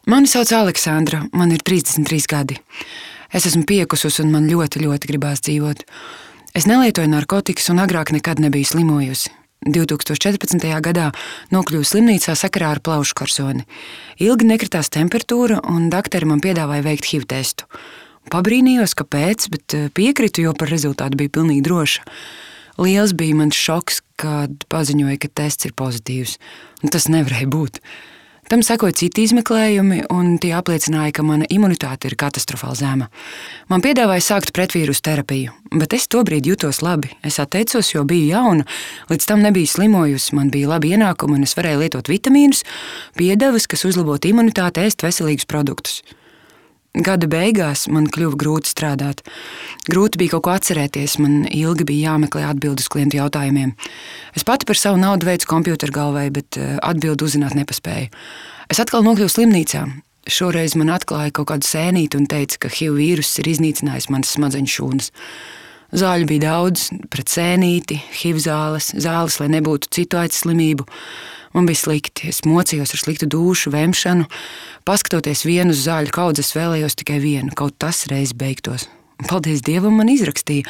Mani sauc Aleksandra, man ir 33 gadi. Es esmu piekusus un man ļoti, ļoti gribās dzīvot. Es nelietoju narkotikas un agrāk nekad nebiju slimojusi. 2014. gadā nokļuvu slimnīcā sakarā ar plaušu karsoni. Ilgi nekritās temperatūra un dakteri man piedāvāja veikt HIV testu. Pabrīnījos, kāpēc, bet piekritu, jo par rezultātu bija pilnīgi droša. Liels bija mans šoks, kad paziņoja, ka tests ir pozitīvs. Un tas nevarēja būt. Tam sekoja citi izmeklējumi, un tie apliecināja, ka mana imunitāte ir katastrofāli zema. Man piedāvāja sākt pretvīrusu terapiju, bet es tobrīd jutos labi. Es atteicos, jo biju jauna, līdz tam nebiju slimojusi, man bija labi ienākumi, un es varēju lietot vitamīnus, piedevas, kas uzlabotu imunitāti, ēst veselīgus produktus. Gada beigās man kļuva grūti strādāt. Grūti bija kaut ko atcerēties, man ilgi bija jāmeklē atbildes klientu jautājumiem. Es pati par savu naudu veicu kompjuteru galvai, bet atbildi uzzināt nepaspēju. Es atkal nokļuvu slimnīcā. Šoreiz man atklāja kaut kādu sēnīti un teica, ka HIV vīruss ir iznīcinājis manas smadzeņu šūnas. Zāļu bija daudz, pret sēnīti, HIV zāles, lai nebūtu citu aicu slimību. Man bija slikti, es mocījos ar sliktu dūšu, vemšanu. Paskatoties vienu uz zāļu kaudzi, es vēlējos tikai vienu, kaut tas reiz beigtos. Paldies Dievam, man izrakstīja,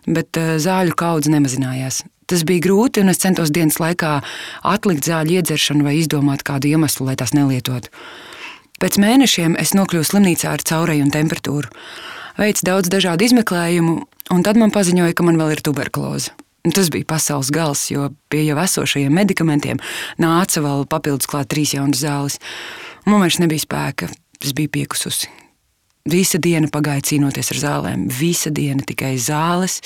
bet zāļu kaudze nemazinājās. Tas bija grūti, un es centos dienas laikā atlikt zāļu iedzeršanu vai izdomāt kādu iemeslu, lai tās nelietotu. Pēc mēnešiem es nokļuvu slimnīcā ar caureju un temperatūru. Veicu daudz dažādu izmeklējumu, un tad man paziņoja, ka man vēl ir tuberkuloze. Tas bija pasaules gals, jo pie jau esošajiem medikamentiem nāca vēl papildus klāt 3 jaunas zāles. Man vairs nebija spēka, es biju piekususi. Visa diena pagāja cīnoties ar zālēm, visa diena tikai zāles.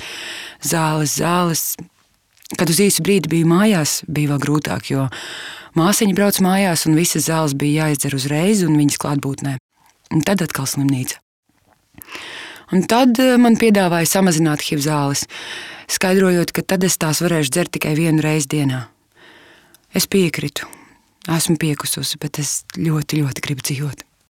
Kad uz īsu brīdi biju mājās, bija vēl grūtāk, jo māsiņa brauc mājās un visas zāles bija jāizdzer uzreiz un viņas klātbūtnē. Un tad atkal slimnīca. Un tad man piedāvāja samazināt HIV zāles, skaidrojot, ka tad es tās varēšu dzert tikai 1 reizi dienā. Es piekritu. Esmu piekususi, bet es ļoti, ļoti gribu dzīvot.